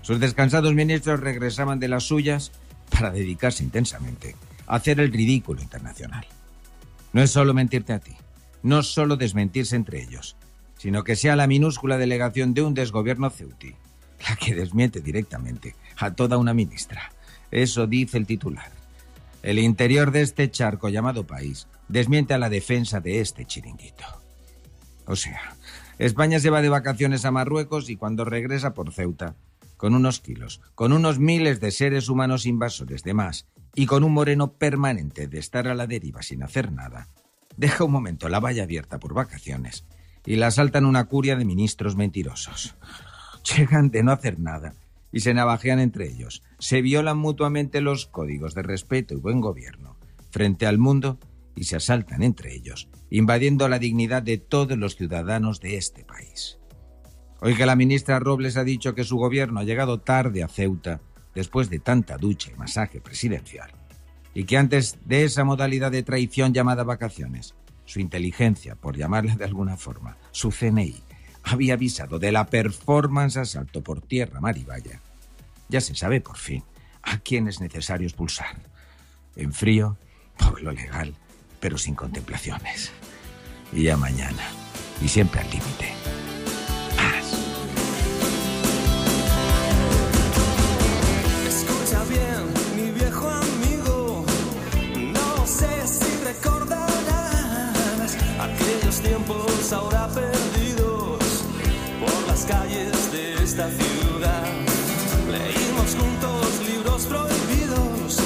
sus descansados ministros regresaban de las suyas para dedicarse intensamente a hacer el ridículo internacional. No es solo mentirte a ti, no solo desmentirse entre ellos, sino que sea la minúscula delegación de un desgobierno ceutí la que desmiente directamente a toda una ministra. Eso dice el titular. El interior de este charco llamado país desmiente a la defensa de este chiringuito. O sea, España se va de vacaciones a Marruecos y cuando regresa por Ceuta, con unos kilos, con unos miles de seres humanos invasores de más y con un moreno permanente de estar a la deriva sin hacer nada, deja un momento la valla abierta por vacaciones y la asaltan una curia de ministros mentirosos. Llegan de no hacer nada y se navajean entre ellos, se violan mutuamente los códigos de respeto y buen gobierno frente al mundo y se asaltan entre ellos, invadiendo la dignidad de todos los ciudadanos de este país. Hoy que la ministra Robles ha dicho que su gobierno ha llegado tarde a Ceuta después de tanta ducha y masaje presidencial, y que antes de esa modalidad de traición llamada vacaciones, su inteligencia, por llamarla de alguna forma, su CNI, había avisado de la performance asalto por tierra, mar y valla, ya se sabe por fin a quién es necesario expulsar. En frío, por lo legal, pero sin contemplaciones. Y ya mañana, y siempre al límite. Paz. Escucha bien, mi viejo amigo, no sé si recordarás aquellos tiempos ahora perdidos por las calles de esta ciudad. Leímos juntos libros prohibidos,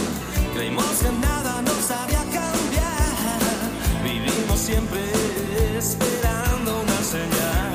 creímos que nada nos haría cambiar, vivimos siempre esperando una señal.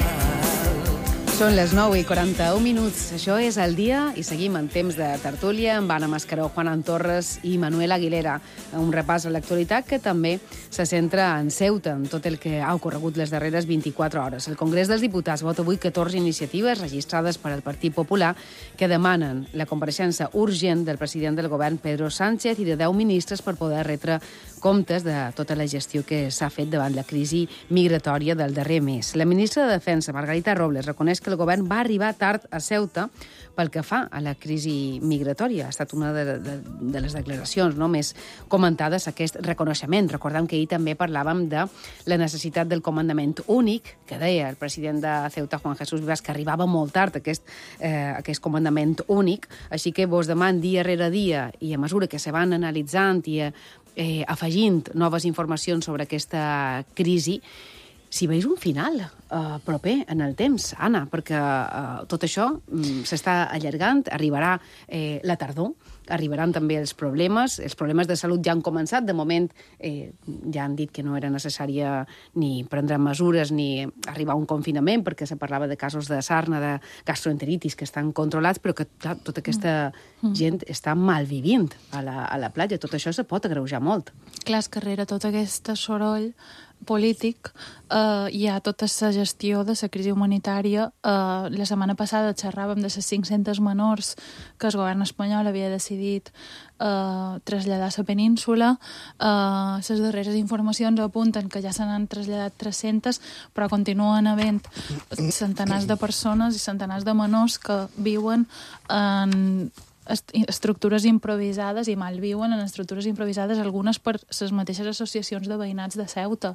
Són les 9:41. Això és El Dia i seguim en temps de tertúlia amb Anna Mascaró, Juan Torres i Manuel Aguilera. Un repàs a l'actualitat que també se centra en Ceuta, en tot el que ha ocorregut les darreres 24 hores. El Congrés dels Diputats vota avui 14 iniciatives registrades per al Partit Popular que demanen la compareixença urgent del president del govern, Pedro Sánchez, i de 10 ministres per poder retre comptes de tota la gestió que s'ha fet davant la crisi migratòria del darrer mes. La ministra de Defensa, Margarita Robles, reconeix que el govern va arribar tard a Ceuta pel que fa a la crisi migratòria. Ha estat una de les declaracions més comentades, aquest reconeixement. Recordem que ahir també parlàvem de la necessitat del comandament únic, que deia el president de Ceuta, Juan Jesús Vivas, que arribava molt tard aquest comandament únic. Així que vos deman dia rere dia, i a mesura que se van analitzant i afegint noves informacions sobre aquesta crisi, si veus un final proper en el temps, Anna, perquè tot això s'està allargant, arribarà la tardor, arribaran també els problemes de salut ja han començat, de moment ja han dit que no era necessària ni prendre mesures ni arribar a un confinament, perquè se parlava de casos de sarna, de gastroenteritis que estan controlats, però que clar, tota aquesta gent està malvivint a la platja, tot això se pot agreujar molt. Clar, és que darrere tot aquest soroll polític hi ha tota la gestió de la crisi humanitària. La setmana passada xerràvem de les 500 menors que el govern espanyol havia decidit traslladar a la península. Les darreres informacions apunten que ja se n'han traslladat 300, però continuen havent centenars de persones i centenars de menors que viuen en estructures improvisades i malviuen en estructures improvisades, algunes per les mateixes associacions de veïnats de Ceuta.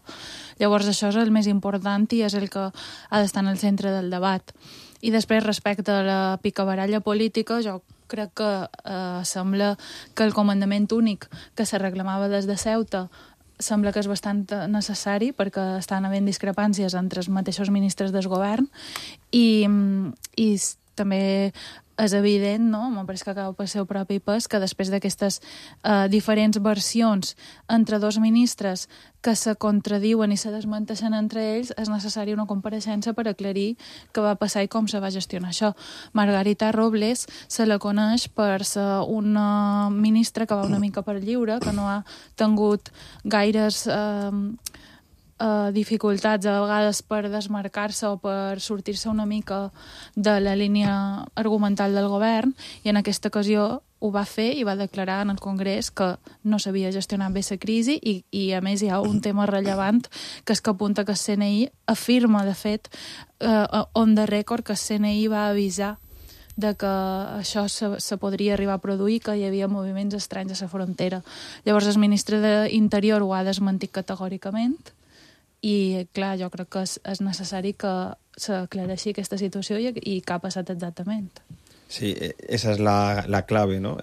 Llavors això és el més important i és el que ha d'estar en el centre del debat. I després, respecte a la picabaralla política, jo crec que sembla que el comandament únic que se reclamava des de Ceuta sembla que és bastant necessari perquè estan havent discrepàncies entre els mateixos ministres del govern i també és evident, no? M'ha pareix que acaba per seu propi pes, que després d'aquestes diferents versions entre dos ministres que se contradiuen i se desmenteixen entre ells, és necessària una compareixença per aclarir què va passar i com se va gestionar això. Margarita Robles se la coneix per ser una ministra que va una mica per lliure, que no ha tingut gaires dificultats a vegades per desmarcar-se o per sortir-se una mica de la línia argumental del govern, i en aquesta ocasió ho va fer i va declarar en el Congrés que no s'havia gestionat bé la crisi i a més hi ha un tema rellevant que és que apunta que el CNI afirma, de fet, on the record, que el CNI va avisar de que això se podria arribar a produir, que hi havia moviments estranys a la frontera. Llavors el ministre d'Interior ho ha desmentit categòricament i, clar, jo crec que és necessari que s'aclareixi aquesta situació i què ha passat exactament. Sí, esa es la clave, ¿no?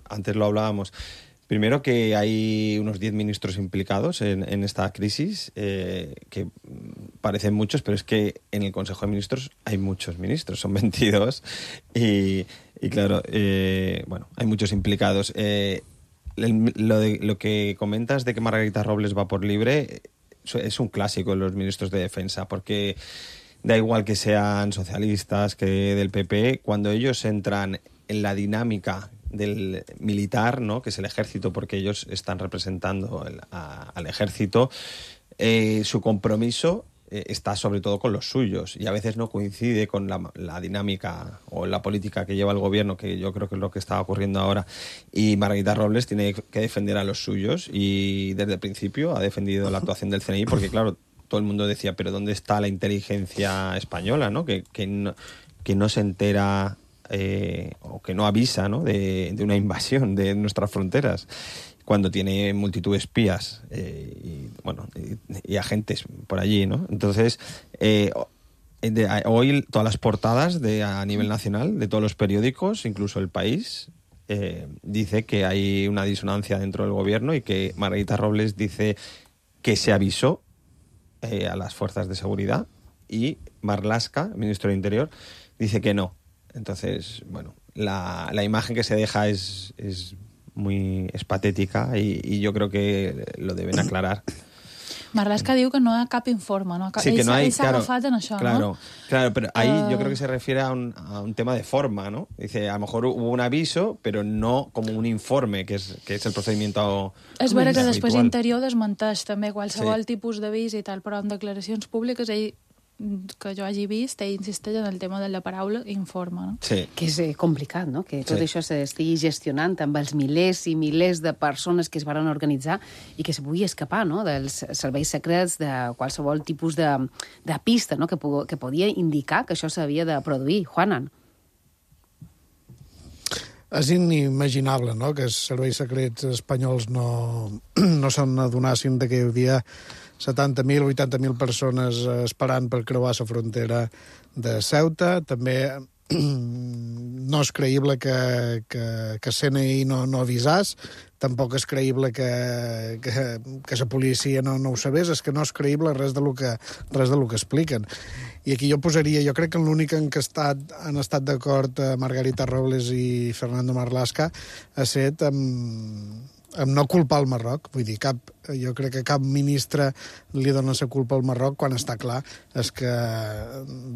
Antes lo hablábamos. Primero, que hay unos 10 ministros implicados en esta crisis, que parecen muchos, pero es que en el Consejo de Ministros hay muchos ministros, son 22, y claro, bueno, hay muchos implicados. Lo que comentas de que Margarita Robles va por libre es un clásico en los ministros de Defensa, porque da igual que sean socialistas que del PP, cuando ellos entran en la dinámica del militar, ¿no?, que es el ejército, porque ellos están representando al ejército, su compromiso está sobre todo con los suyos, y a veces no coincide con la dinámica o la política que lleva el gobierno, que yo creo que es lo que está ocurriendo ahora. Y Margarita Robles tiene que defender a los suyos, y desde el principio ha defendido la actuación del CNI, porque claro, todo el mundo decía, pero ¿dónde está la inteligencia española, ¿no? Que no se entera o que no avisa, ¿no?, de una invasión de nuestras fronteras, cuando tiene multitud de espías y agentes por allí, ¿no? Entonces, hoy todas las portadas a nivel nacional de todos los periódicos, incluso El País, dice que hay una disonancia dentro del gobierno y que Margarita Robles dice que se avisó a las fuerzas de seguridad, y Marlaska, ministro de Interior, dice que no. Entonces, bueno, la imagen que se deja es patética, y yo creo que lo deben aclarar. Marlaska diu que no hi ha cap informe, no? Sí, que no hay, ell s'ha agafat en això, claro, no? Claro, pero ahí yo creo que se refiere a un tema de forma, ¿no? Dice, a lo mejor hubo un aviso, pero no como un informe, que es el procedimiento És vera que habitual. després Interior desmenteix també qualsevol Sí. tipus d'avís i tal, però en declaracions públiques ell, que jo hagi vist, ell insisteix en el tema de la paraula informe, no? Sí. Que és complicat, no?, que tot Sí. això s'estigui gestionant amb els milers i milers de persones que es van organitzar i que se pugui escapar, no?, dels serveis secrets, de qualsevol tipus de pista, no?, que podia indicar que això s'havia de produir. Juanan. És inimaginable, no?, que els serveis secrets espanyols no se'n adonessin que hi havia 70.000 o 80.000 persones esperant per creuar la frontera de Ceuta. També no és creïble que CNI no avisàs, tampoc és creïble que la policia no ho sabés, és que no és creïble res de lo que expliquen. I aquí jo crec que l'únic en què han estat d'acord Margarita Robles i Fernando Marlaska ha estat amb no culpar el Marroc. Vull dir, jo crec que cap ministre li dona la culpa al Marroc, quan està clar és que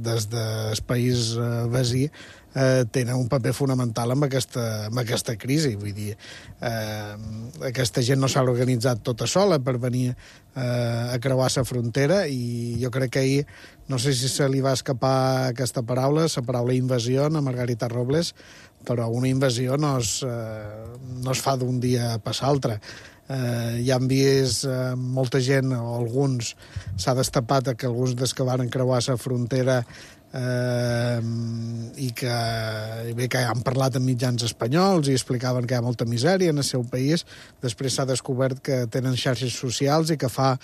des del país vecí tenen un paper fonamental amb aquesta crisi. Vull dir, aquesta gent no s'ha organitzat tota sola per venir a creuar la frontera, i jo crec que ahir, no sé si se li va escapar aquesta paraula, la paraula invasió a Margarita Robles, però una invasió no es fa d'un dia per l'altre. Ja hem vist molta gent, o alguns, s'ha destapat que alguns dels que van creuar la frontera i que han parlat amb mitjans espanyols i explicaven que hi ha molta misèria en el seu país. Després s'ha descobert que tenen xarxes socials i que fa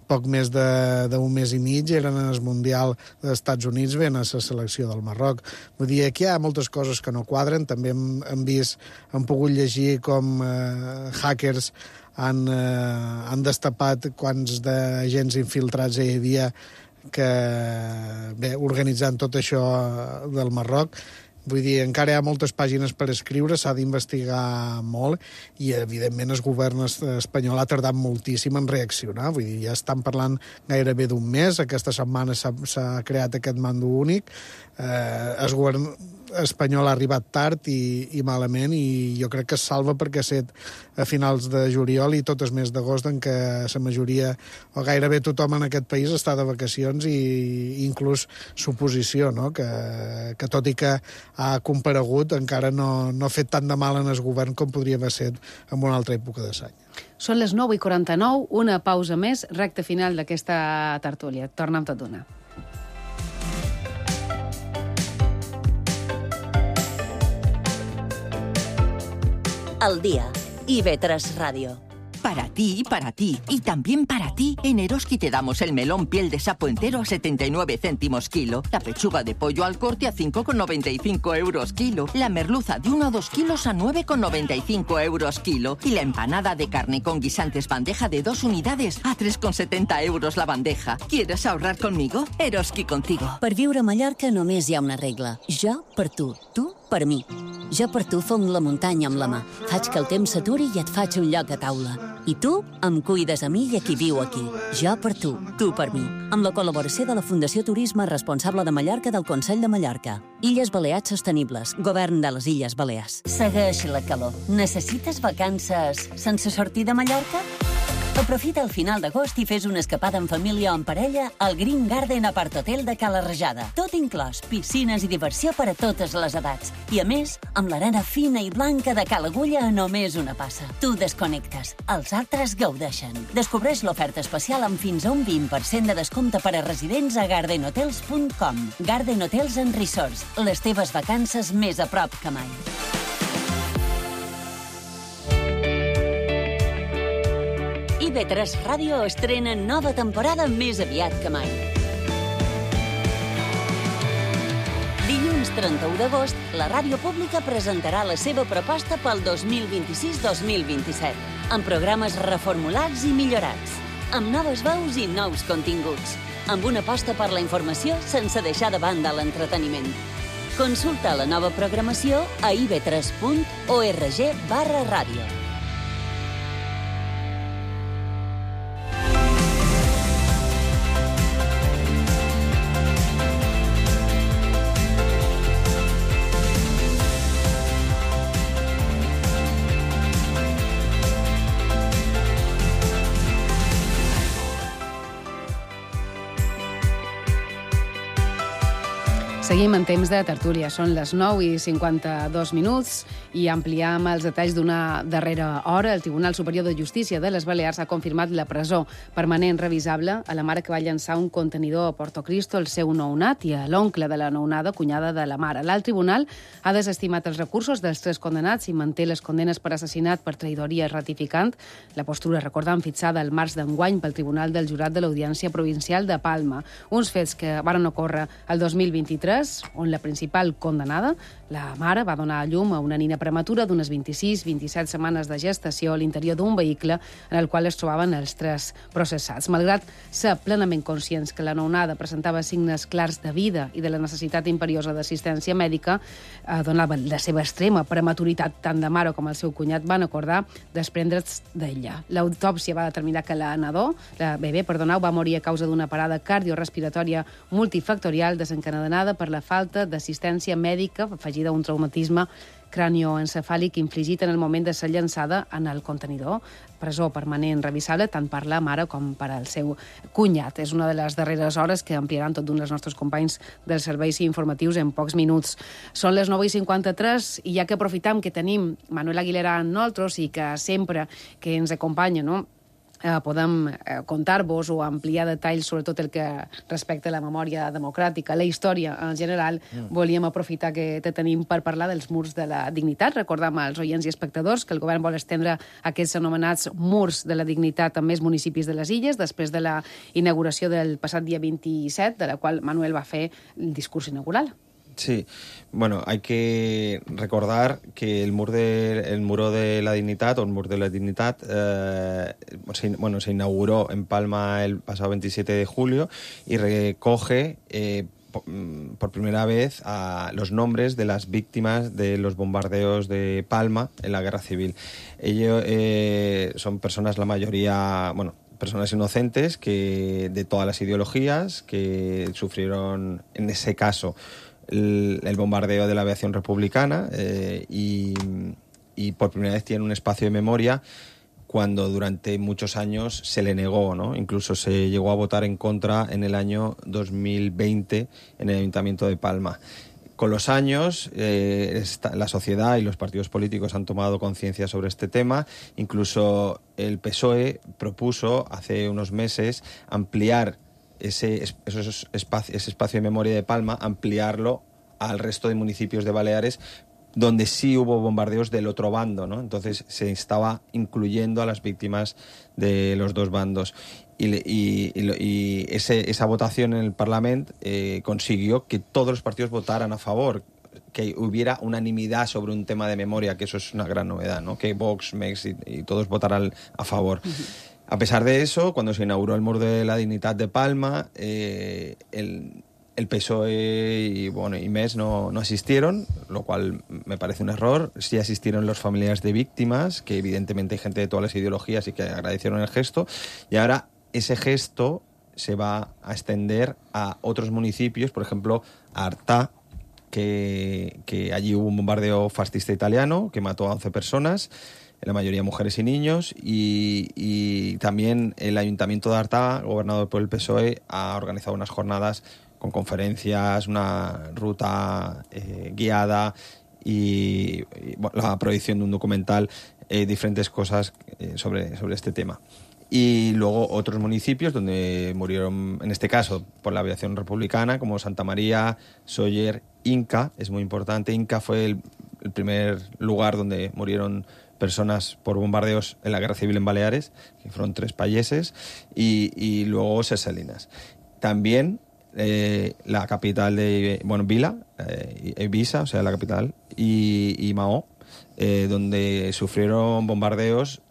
poc més d'un mes i mig eren en el Mundial dels Estats Units veient a la selecció del Marroc. Vull dir, aquí hi ha moltes coses que no quadren. També hem pogut llegir com hackers han destapat quants d'agents infiltrats hi havia organitzant tot això del Marroc. Vull dir, encara hi ha moltes pàgines per escriure, s'ha d'investigar molt i, evidentment, el govern espanyol ha tardat moltíssim en reaccionar. Vull dir, ja estan parlant gairebé d'un mes. Aquesta setmana s'ha creat aquest mando únic. El govern espanyol ha arribat tard i malament, i jo crec que es salva perquè ha set a finals de juliol i tot el mes d'agost, en què la majoria, o gairebé tothom en aquest país, està de vacacions, i inclús l'oposició, no? que tot i que ha comparegut, encara no ha fet tant de mal en el govern com podria haver set en una altra època de l'any. Són les 9:49, una pausa més, recta final d'aquesta tertúlia. Torna amb tot d'una. Al día. IB3 Radio. Para ti y también para ti, en Eroski te damos el melón piel de sapo entero a 79 céntimos kilo, la pechuga de pollo al corte a 5,95 euros kilo, la merluza de 1 a 2 kilos a 9,95 euros kilo y la empanada de carne con guisantes bandeja de 2 unidades a 3,70 euros la bandeja. ¿Quieres ahorrar conmigo? Eroski contigo. Per viure a Mallorca només hi ha una regla. Jo per tu per mi. Jo per tu fong la muntanya amb la mà. Faig que el temps s'aturi i et faig un lloc a taula. I tu em cuides a mi i a qui viu aquí. Jo per tu per mi. Amb la col·laboració de la Fundació Turisme Responsable de Mallorca del Consell de Mallorca. Illes Balears Sostenibles. Govern de les Illes Balears. Segueix la calor. Necessites vacances sense sortir de Mallorca? Aprofita el final d'agost i fes una escapada en família o en parella al Green Garden Apart Hotel de Cala Rajada. Tot inclòs, piscines i diversió per a totes les edats. I a més, amb l'arena fina i blanca de Cala Agulla a només una passa. Tu desconnectes, els altres gaudeixen. Descobreix l'oferta especial amb fins a un 20% de descompte per a residents a gardenhotels.com. Garden Hotels and Resorts, les teves vacances més a prop que mai. IB3 Ràdio estrena nova temporada més aviat que mai. Dilluns 31 d'agost, la ràdio pública presentarà la seva proposta pel 2026-2027, amb programes reformulats i millorats, amb noves veus i nous continguts, amb una aposta per la informació sense deixar de banda l'entreteniment. Consulta la nova programació a ib3.org/ràdio. Seguim en temps de tertúlia. Són les 9:52 i ampliam els detalls d'una darrera hora. El Tribunal Superior de Justícia de les Balears ha confirmat la presó permanent revisable a la mare que va llançar un contenidor a Porto Cristo al seu nounat i a l'oncle de la nounada, cunyada de la mare. L'alt tribunal ha desestimat els recursos dels 3 condenats i manté les condenes per assassinat per traïdoria ratificant. La postura, recordam, fixada el març d'enguany pel Tribunal del Jurat de l'Audiència Provincial de Palma. Uns fets que varen ocórrer el 2023, on la principal condenada, la mare, va donar a llum a una nina prematura d'unes 26-27 setmanes de gestació a l'interior d'un vehicle en el qual es trobaven els 3 processats. Malgrat ser plenament conscients que la nounada presentava signes clars de vida i de la necessitat imperiosa d'assistència mèdica, donava la seva extrema prematuritat, tant de mare com el seu cunyat van acordar desprendre's d'ella. L'autòpsia va determinar que la bebè, va morir a causa d'una parada cardiorrespiratòria multifactorial desencadenada per la falta d'assistència mèdica afegida a un traumatisme cranioencefàlic infligit en el moment de ser llançada en el contenidor. Presó permanent revisable tant per la mare com per al seu cunyat. És una de les darreres hores que ampliaran tot d'un dels nostres companys dels serveis informatius en pocs minuts. Són les 9:53 i ja que aprofitam que tenim Manuel Aguilera amb nosaltres i que sempre que ens acompanya, no?, podem contar-vos o ampliar detalls sobre tot el que respecta a la memòria democràtica, la història en general. Volíem aprofitar que te tenim per parlar dels murs de la dignitat. Recordam als oients i espectadors que el govern vol estendre aquests anomenats murs de la dignitat a més municipis de les Illes després de la inauguració del passat dia 27, de la qual Manuel va fer el discurs inaugural. Sí, bueno, hay que recordar que el muro de la dignidad, o el muro de la dignidad, se inauguró en Palma el pasado 27 de julio y recoge por primera vez los nombres de las víctimas de los bombardeos de Palma en la Guerra Civil. Ellos son personas, la mayoría, personas inocentes que de todas las ideologías que sufrieron, en ese caso, el bombardeo de la aviación republicana y por primera vez tienen un espacio de memoria cuando durante muchos años se le negó, ¿no? Incluso se llegó a votar en contra en el año 2020 en el Ayuntamiento de Palma. Con los años, la sociedad y los partidos políticos han tomado conciencia sobre este tema. Incluso el PSOE propuso hace unos meses ampliar ese espacio de memoria de Palma, ampliarlo al resto de municipios de Baleares, donde sí hubo bombardeos del otro bando, ¿no? Entonces se estaba incluyendo a las víctimas de los dos bandos. Y esa votación en el Parlamento consiguió que todos los partidos votaran a favor, que hubiera unanimidad sobre un tema de memoria, que eso es una gran novedad, ¿no? Que Vox, MEX y todos votaran a favor. Uh-huh. A pesar de eso, cuando se inauguró el Mur de la Dignitat de Palma, el PSOE y MES no asistieron, lo cual me parece un error. Sí asistieron los familiares de víctimas, que evidentemente hay gente de todas las ideologías y que agradecieron el gesto. Y ahora ese gesto se va a extender a otros municipios, por ejemplo, a Artà, que allí hubo un bombardeo fascista italiano que mató a 11 personas, en la mayoría mujeres y niños, y también el Ayuntamiento de Artà, gobernado por el PSOE, ha organizado unas jornadas con conferencias, una ruta guiada y la proyección de un documental, diferentes cosas sobre este tema. Y luego otros municipios donde murieron, en este caso por la aviación republicana, como Santa María, Sóller, Inca, es muy importante. Inca fue el primer lugar donde murieron personas por bombardeos en la Guerra Civil en Baleares, que fueron 3 payeses, y luego Ses Salines. También la capital de Vila, Ibiza, o sea, la capital, y Mahó, donde sufrieron bombardeos,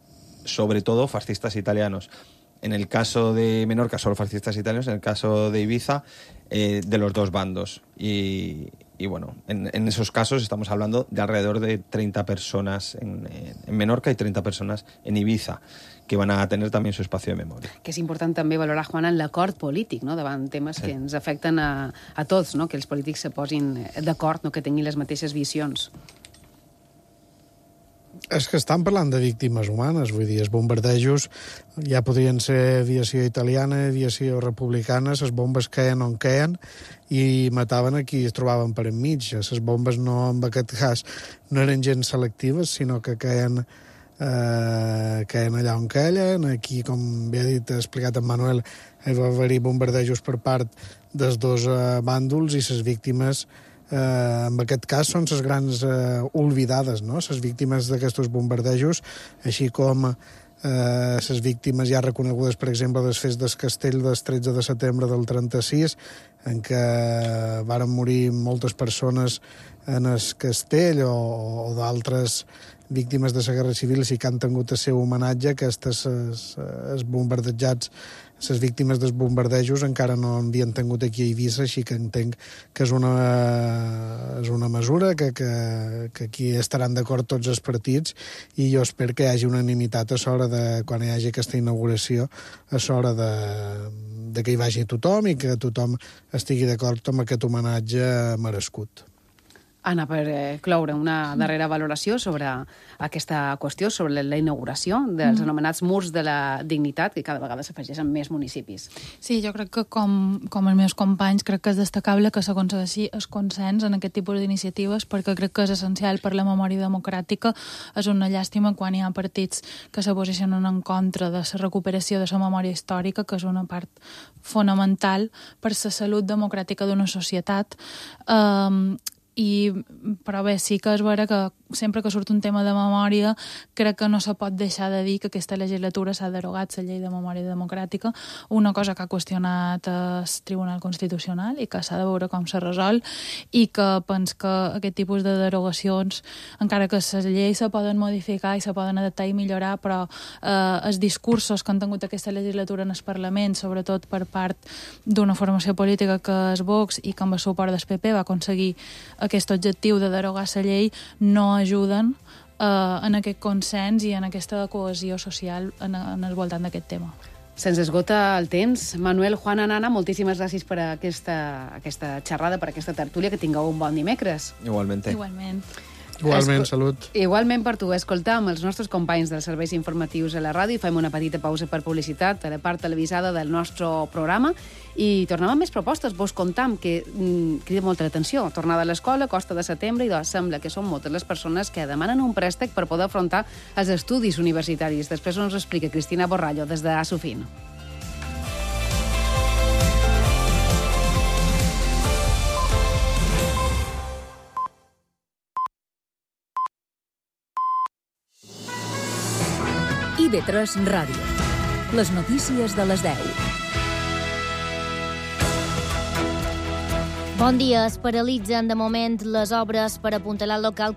sobre todo fascistas italianos. En el caso de Menorca, solo fascistas italianos. En el caso de Ibiza, de los dos bandos. Y en esos casos estamos hablando de alrededor de 30 personas en Menorca y 30 personas en Ibiza, que van a tener també su espacio de memòria. Que és important també valorar, Juana, l'acord polític, no?, davant temes que ens afecten a tots, no?, que els polítics se posin d'acord, no?, que tinguin les mateixes visions. És que estan parlant de víctimes humanes, vull dir, els bombardejos ja podrien ser aviació italiana, aviació republicana, les bombes queien on queien i mataven a qui es trobaven per enmig. Les bombes no, en aquest cas, no eren gens selectives, sinó que queien allà on queien. Aquí, com bé ha explicat en Manuel, hi va haver-hi bombardejos per part dels dos bàndols i les víctimes en aquest cas són les grans oblidades, no?, les víctimes d'aquests bombardejos, així com les víctimes ja reconegudes, per exemple, dels fets del Castell del 13 de setembre del 36, en què varen morir moltes persones en el castell, o d'altres víctimes de la Guerra Civil, sí que han tingut el seu homenatge. Aquestes els bombardejats, les víctimes dels bombardejos encara no havien tingut aquí a Eivissa, així que entenc que és una mesura que aquí estaran d'acord tots els partits, i jo espero que hi hagi unanimitat a l'hora de, quan hi hagi aquesta inauguració, a l'hora de que hi vagi tothom i que tothom estigui d'acord amb aquest homenatge merescut. Anna, per cloure, una darrera valoració sobre aquesta qüestió, sobre la inauguració dels anomenats Murs de la Dignitat, que cada vegada s'afegeixen més municipis. Sí, jo crec que com els meus companys, crec que és destacable que s'aconsegueixi el consens en aquest tipus d'iniciatives, perquè crec que és essencial per la memòria democràtica. És una llàstima quan hi ha partits que se posicionen en contra de la recuperació de la memòria històrica, que és una part fonamental per la salut democràtica d'una societat. Però bé, sí que és vera que sempre que surt un tema de memòria crec que no se pot deixar de dir que aquesta legislatura s'ha derogat la llei de memòria democràtica, una cosa que ha qüestionat el Tribunal Constitucional i que s'ha de veure com se resol, i que pens que aquest tipus de derogacions, encara que les lleis se poden modificar i se poden adaptar i millorar, però els discursos que han tingut aquesta legislatura en el Parlament, sobretot per part d'una formació política que és Vox i que amb el suport del PP va aconseguir aquest objectiu de derogar la llei, no ajuden en aquest consens i en aquesta cohesió social en el voltant d'aquest tema. Se'ns esgota el temps. Manuel, Juana, Nana, moltíssimes gràcies per aquesta xerrada, per aquesta tertúlia. Que tingueu un bon dimecres. Igualmente. Igualment, salut. Igualment per tu. Escoltam els nostres companys dels serveis informatius a la ràdio i fem una petita pausa per publicitat a la part televisada del nostre programa i tornem amb més propostes. Vos contam que crida molta l'atenció. Tornada a l'escola, costa de setembre, i sembla que són moltes les persones que demanen un préstec per poder afrontar els estudis universitaris. Després ens ho explica Cristina Borrallo des de Asufin. IB3 Ràdio. Les notícies de les 10. Bon dia. Es paralitzen de moment les obres per apuntalar el local